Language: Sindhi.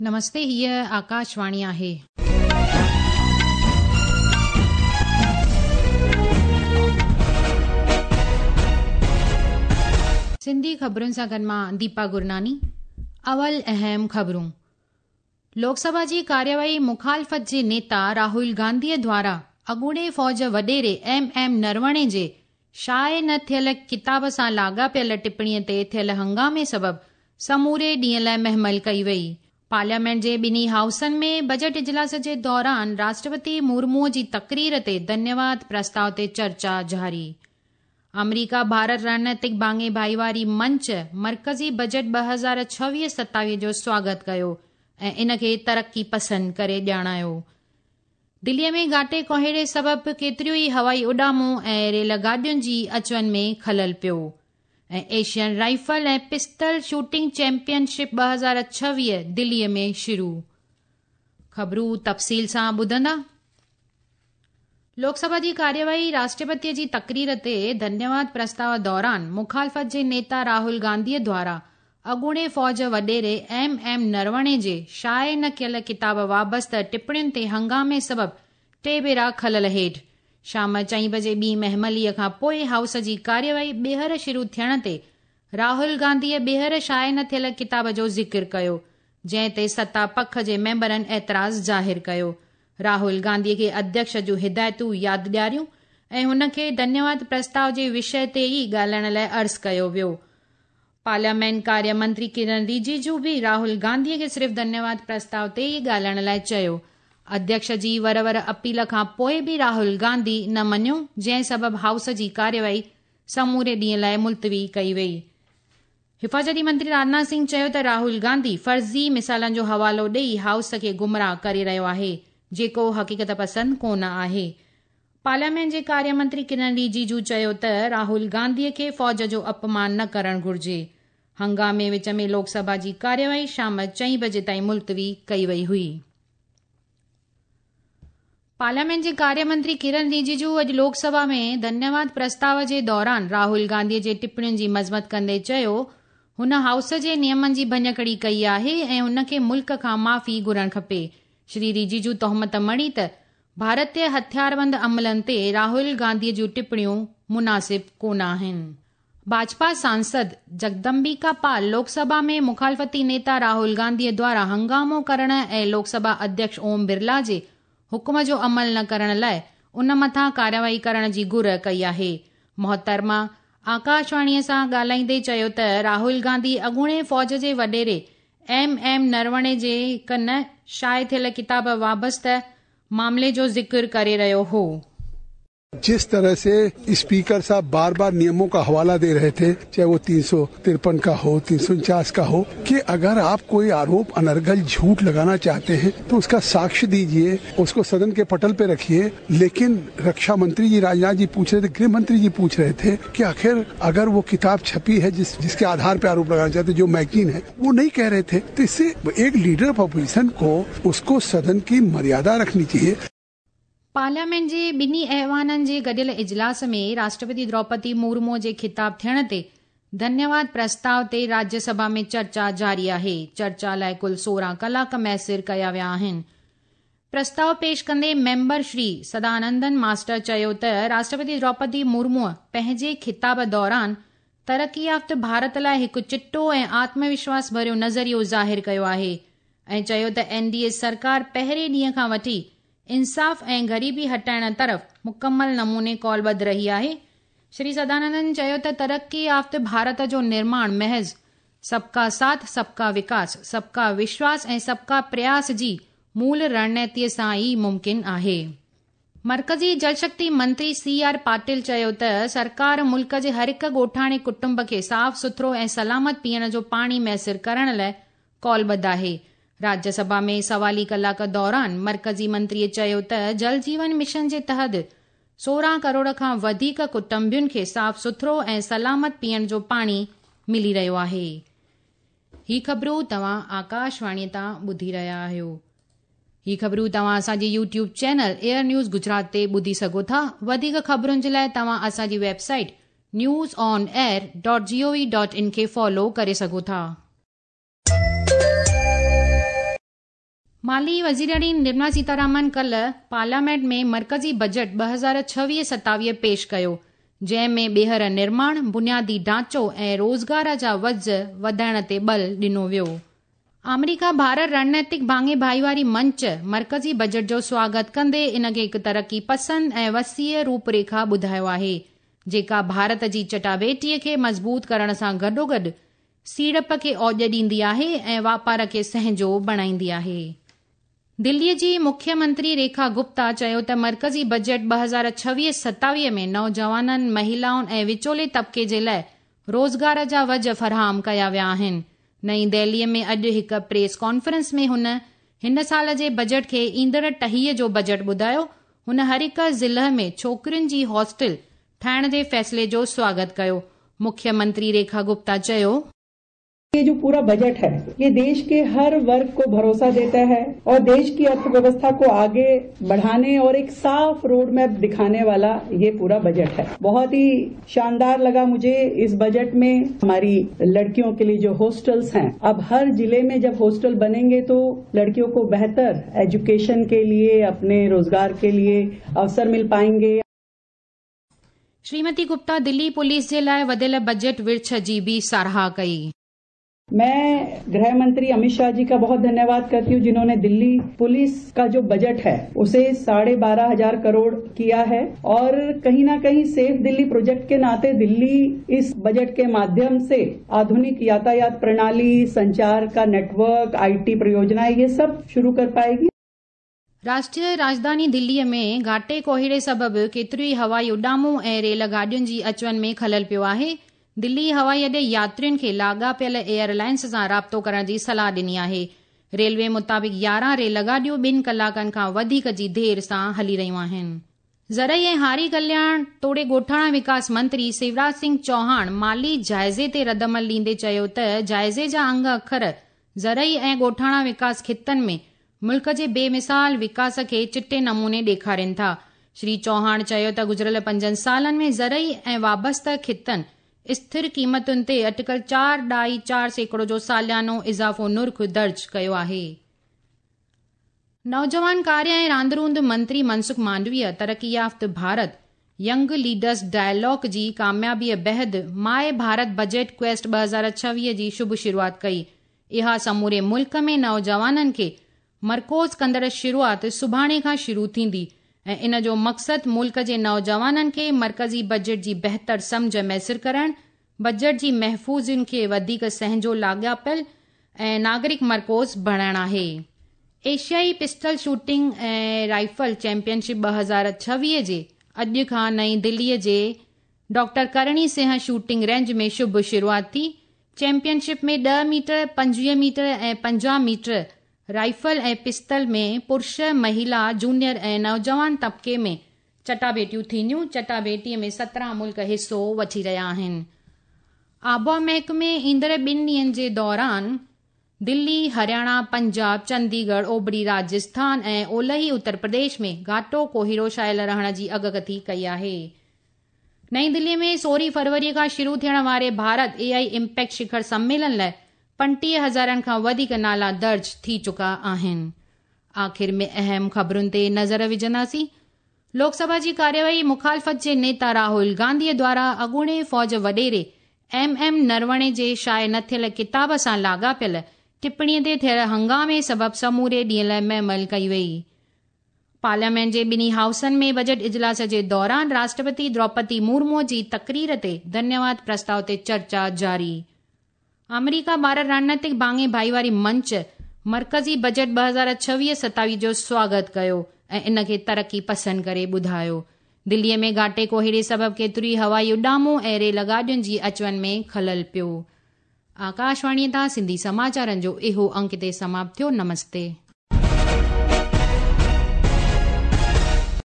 نمستي هيء آڪاشواڻي آهي. سنڌي خبرن سان گڏ مان ديپا گرناني اول اهم خبرون لوڪ سڀا جي ڪارروائي مخالفت جي نيتا راهول گانڌيء دوارا اڳوڻي فوج وڏيري ايم ايم نروڻي جي شايع نه ٿيل ڪتاب سان لاڳاپيل ٽپڻيء تي ٿيل هنگامي سبب سموري ڏينهن لاء مهمل ڪئي وئي. پارليامينٽ جي ٻنهي هائوسن ۾ بجيٽ اجلاس جي دوران راشٽرپتي مرموء جي تقرير تي ڌنيواد پرستاء تي چرچا جاري. آمريڪا ڀارت رڻنيتڪ ڀاڱي ڀائيواري منچ مرڪزي بجيٽ 2026-27 جو سواگت ڪيو ۽ ان کي ترقي پسند ڪري ڄاڻايو. دليء ۾ گهاٽي ڪوهيڙي سبب ڪيتريون ئي هوائي اڏامون ۽ ريل گاڏين جي اچ وڃ ۾ خلل پيو. ۽ Asian rifle ۽ pistol shooting championship 2026 دليء ۾ شروع. خبرون تفصيل سان ٻڌندا. لوڪ سڀا جي ڪارروائي راشٽرپتيء جي تقرير تي ڌنيواد پرستاء دوران مخالفت جي نيتا راهول گانڌيء دوارا اڳوڻي فوج وڏيري ايم ايم نروڻي جي شايع نه ڪيل ڪتاب وابسته ٽپڻين تي هنگامي سبب ٽي ڀيرا خلل هيٺ شام چئين بجي ٻي مهمليء کان پوء هائوس جي ڪارروائي ٻيهر شروع ٿيڻ تي راهول گانڌيء ٻيهر شايع نه ٿيل ڪتاب جو ذڪر ڪيو، جنهن تي ستا پک جي ميمبرن اعتراض ظاهر ڪيو. راهول گانڌيء کي اڌيڪش جون هدايتون ياد ڏياريون ۽ هن کي ڌنيواد پرستاء جي وشيه تي ئي ڳالهائڻ لاء عرض ڪيو ويو. پارليامينٽ ڪاريه منتري ڪرن رجيجو به راهول گانڌيء کي صرف ڌنيواد پرستاء تي ئي ڳالهائڻ لاء چيو. اڌيڪش جي ور ور اپيل کان پوء به راهول گانڌي نه مڃيو، جنهن سبب هائوس جي ڪارروائي سموري ڏينهن لاء ملتوي ڪئي وئي. حفاظتي منتري راجناٿ سنگهه چيو ته راهول گانڌي فرضي مثالن جو حوالو ڏئي هائوس کي گمراهه ڪري رهيو آهي، جيڪو حقيقت پسند ڪونه آهي. پارليامينٽ جي ڪاريه منتري ڪرن رجيجو چيو ته راهول گانڌيء کي فوج جو اپمان نه ڪرڻ گهرجي. هنگامي وچ ۾ لوڪ سڀا جي ڪارروائي شام چئين بجي تائين ملتوي ڪئي وئي هئي. پارليامينٽ جي ڪاريه منتري ڪرن رجيجو اڄ لوڪ سڀا ۾ ڌنيواد پرستاء جي دوران راهول گانڌيء جي ٽپڻين جي مذمت ڪندي چيو هن هائوس جي نيمن جي ڀڃڪڙي ڪئي آهي ۽ هن کي ملڪ کان معافي گهرڻ کپي. شري رجيجو تهمت مڙهي ته ڀارتي هٿياربند عملن تي راهول گانڌيء جون ٽپڻيون مناسب ڪونه آهن. ڀاجپا سانسد جگدمبيڪا پال لوڪ سڀا ۾ مخالفتي نيتا راهول گانڌيء دوارا هنگامو ڪرڻ ۽ لوڪ سڀا اڌيڪش اوم برلا جي حڪم جو عمل نه ڪرڻ لاء ان مٿان ڪارروائي ڪرڻ جي گهر ڪئي آهي. محترمه آڪاشواڻيء سان ڳالهائيندي چيو ته راهول گانڌي اڳوڻي فوج جي وڏيري ايم ايم نروڻي جي هڪ نه شايع ٿيل ڪتاب وابسته معاملي جو ذڪر ڪري رهيو هو. जिस तरह से स्पीकर साहब बार बार नियमों का हवाला दे रहे थे, चाहे वो 353 का हो, 349 का हो, कि अगर आप कोई आरोप अनर्गल झूठ लगाना चाहते हैं तो उसका साक्ष्य दीजिए, उसको सदन के पटल पे रखिए। लेकिन रक्षा मंत्री जी राजनाथ जी पूछ रहे थे, गृह मंत्री जी पूछ रहे थे कि आखिर अगर वो किताब छपी है जिसके आधार पे आरोप लगाना चाहते, जो मैगजीन है, वो नहीं कह रहे थे। तो इससे एक लीडर ऑफ अपोजिशन को उसको सदन की मर्यादा रखनी चाहिए। पार्लियामेंट जे ॿिन्ही ऐवाननि जे गॾियल इजलास में राष्ट्रपति द्रौपदी मुर्मूअ जे खिताब थियण ते ڌنيواد پرستاء تي راجيه سڀا ۾ چرچا جاري آهي. چرچا لاء ڪل 16 ڪلاڪ ميسر ڪيا ويا آهن. پرستاء پيش ڪندي ميمبر شري سدانندن ماسٽر چيو ته راشٽرپتي دروپدي مرموء پنهنجي خطاب دوران ترقي يافته ڀارت لاء هڪ چٽو ۽ آتم وشواس ڀريو نظريو ظاهر ڪيو آهي ۽ چيو ته اين ڊي اي سرڪار پهرين ڏينهن کان وٺي انصاف ۽ غريبي هٽائڻ طرف مڪمل نموني قولبڌ رهي آهي. شري سدانندن چيو ته ترقي يافته ڀارت جو نرماڻ محض سب ڪا ساٿ، سب ڪا وڪاس، سب ڪا وشواس ۽ سب ڪا پرياس جي مول رڻنيتيء سان ئي ممڪن آهي. مرڪزي جل شڪتي منتري سي آر پاٽل چيو ته سرڪار ملڪ جي هر هڪ ڳوٺاڻي ڪٽنب کي صاف سٿرو ۽ سلامت پيئڻ جو پاڻي ميسر ڪرڻ لاء قولبڌ آهي. راجيه سڀا ۾ سوالي ڪلاڪ دوران مرڪزي منتريء چيو ته جل جيون مشن جي تحت 16 ڪروڙ کان وڌيڪ ڪٽنبن کي صاف سٿرو ۽ سلامت پيئڻ جو پاڻي ملي رهيو آهي. هي خبرون توهان آڪاشواڻيء تان ٻڌي رهيا آهيو. هي خبرون توهان اسان جي YouTube channel AIR news Gujarat تي ٻڌي سگهو ٿا. وڌيڪ خبرن جي لاء توهان اسان جي website news on air dot G O V dot in کي فالو ڪري سگهو ٿا. مالي وزيراڻي نرملا سيتارامن ڪالهه پارليامينٽ ۾ مرڪزي بجٽ 2026-27 پيش ڪيو، جنهن ۾ ٻيهر نرماڻ، بنيادي ڍانچو ۽ روزگار جا وجهه وڌائڻ تي ٻل ڏنو ويو. آمريڪا ڀارت رڻنيتڪ ڀاڱي ڀائيواري منچ مرڪزي بجٽ جو سواگت ڪندي ان کي هڪ ترقي پسند ۽ وسيع روپريکا ٻڌايو آهي، جيڪا ڀارت جي چٽاڀيٽيء کي مضبوط ڪرڻ سان گڏوگڏ سيڙپ کي اوڄ ڏيندي آهي ۽ واپار کي سهنجو بڻائيندي آهي. دليء جي مکيه منتري ريکا گپتا چيو ته مرڪزي بجٽ 2026-27 ۾ نوجوانن، مهلائن ۽ وچولي طبقي جي لاء روزگار جا وجهه فراهم ڪيا ويا آهن. نئين دهليء ۾ اڄ هڪ پريس ڪانفرنس ۾ هن هن سال جي بجٽ کي ايندڙ ٽهيء جو بجٽ ٻڌايو. هن هر هڪ ضلع ۾ ڇوڪرين جي هاسٽل ٺاهڻ جي فيصلي جو سواگت ڪيو. مکيه منتري ريکا گپتا چيو. ये जो पूरा बजट है ये देश के हर वर्ग को भरोसा देता है और देश की अर्थव्यवस्था को आगे बढ़ाने और एक साफ रोड मैप दिखाने वाला ये पूरा बजट है। बहुत ही शानदार लगा मुझे इस बजट में हमारी लड़कियों के लिए जो हॉस्टल्स हैं, अब हर जिले में जब हॉस्टल बनेंगे तो लड़कियों को बेहतर एजुकेशन के लिए, अपने रोजगार के लिए अवसर मिल पाएंगे। श्रीमती गुप्ता दिल्ली पुलिस जे लाइ वधियल बजट विर्छ जी बि साराह कई। मैं गृह मंत्री अमित शाह जी का बहुत धन्यवाद करती हूँ, जिन्होंने दिल्ली पुलिस का जो बजट है उसे 12,500 करोड़ किया है और कहीं ना कहीं सेफ दिल्ली प्रोजेक्ट के नाते दिल्ली इस बजट के माध्यम से आधुनिक यातायात प्रणाली, संचार का नेटवर्क, IT परियोजनाएं ये सब शुरू कर पाएगी। राष्ट्रीय राजधानी दिल्लीअ में घाटे कोहिड़े सबबि केतिरियूं ई हवाई उॾामूं ऐं रेल गाॾियुनि जी अचु-वञ में ख़लल पियो आहे। दिल्ली हवाई अॾे यात्रियुनि खे लाॻापियल एयरलाइंस सां राब्तो करण जी सलाह ॾिनी आहे। रेलवे मुताबिक़ 11 रेल गाॾियूं ॿिनि कलाकनि खां वधीक जी देरि सां हली रहियूं आहिनि। ज़रई ऐं हारी कल्याण तोड़े ॻोठाणा विकास मंत्री शिवराज सिंह चौहान माली जाइज़े ते रद्दअमल ॾींदे चयो त जाइज़े जा अंग अखर ज़रई ऐं ॻोठाणा विकास ख़ितनि में मुल्क जे बेमिसाल विकास खे चिटे नमूने ॾेखारनि था। श्री चौहान चयो त गुज़िरियल 5 सालनि में ज़रई ऐं वाबस्ता ख़ितनि स्थिर क़ीमतुनि ते अटकल 4.4% जो सालियानो इज़ाफ़ो नुर्ख़ दर्ज कयो आहे। नौजवान कार्य ऐं रांदि रूंदि मंत्री मनसुख मांडवीय तरक़ी याफ़्त भारत यंग लीडर्स डायलॉग जी कामयाबीअ बाद my Bharat budget quest 2026 जी शुभ शुरूआत कई। इहा समूरे मुल्क में नौजवाननि खे मरकूज़ कंदड़ शुरूआत सुभाणे खां शुरू थींदी ऐं इन जो मक़सदु मुल्क जे नौजवाननि खे मर्कज़ी बजट जी बहितर सम्झ मयसिर करणु, बजट जी महफ़ूज़ियुनि खे वधीक सहंजो लाॻापियल ऐं नागरिक मरकूज़ बणाइणु आहे। एशियाई पिस्टल शूटिंग ऐं राइफल चैंपियनशिप 2026 जे अॼु खां नई दिल्लीअ जे doctor Karni Singh shooting range में शुभ शुरूआत थी। चैंपियनशिप में 10 मीटर, 25 मीटर ऐं 50 मीटर राइफल ऐं पिस्टल में पुरुष, महिला, जूनियर ऐं नौजवान तबिके में चटाभेटियूं थींदियूं। चटाभेटीअ में 17 मुल्क हिसो वठी रहिया आहिनि। आबहावा महकमे ईंदड़ ॿिनि ॾींहंनि जे दौरान दिल्ली, हरियाणा, पंजाब, चंडीगढ़, ओभरी राजस्थान ऐं ओलही उत्तर प्रदेश में घाटो कोहिड़ो छायल रहण जी अॻकथी कई आहे। नई दिल्लीअ में 16 फरवरीअ खां शुरू थियण वारे भारत एआई इम्पैक्ट शिखर सम्मेलन लाइ 35,000 खां वधीक नाला दर्ज थी चुका आहिनि। आख़िर में अहम ख़बरुनि ते नज़र विझंदासीं। लोकसभा जी कार्यवाही मुखालफ़त जे नेता राहुल गांधीअ द्वारा अॻूणे फ़ौज वॾेरे एम एम नरवणे जे शाये न थियल किताब सां लाॻापियल टिप्पणीअ ते थियल हंगामे सबबि समूरे ॾींहं लाइ महमल कई वई। पार्लियामेंट जे ॿिन्ही हाउसनि में बजट इजलास जे दौरान राष्ट्रपति द्रौपदी मुर्मू जी तकरीर ते धन्यवाद प्रस्ताव ते चर्चा जारी। अमेरिका भारत रणनीतिक भाङे भाईवारी मंच मर्कज़ी बजट 2026-27 जो स्वागत कयो ऐं इन खे तरक़ी पसंदि करे ॿुधायो। दिल्लीअ में घाटे कोहिड़े सबबि केतिरियूं ई हवाई उॾामूं ऐं रेल गाॾियुनि जी अचु-वञ में ख़लल पियो। आकाशवाणीअ तां सिंधी समाचारनि जो इहो अंक हिते समाप्त थियो। नमस्ते।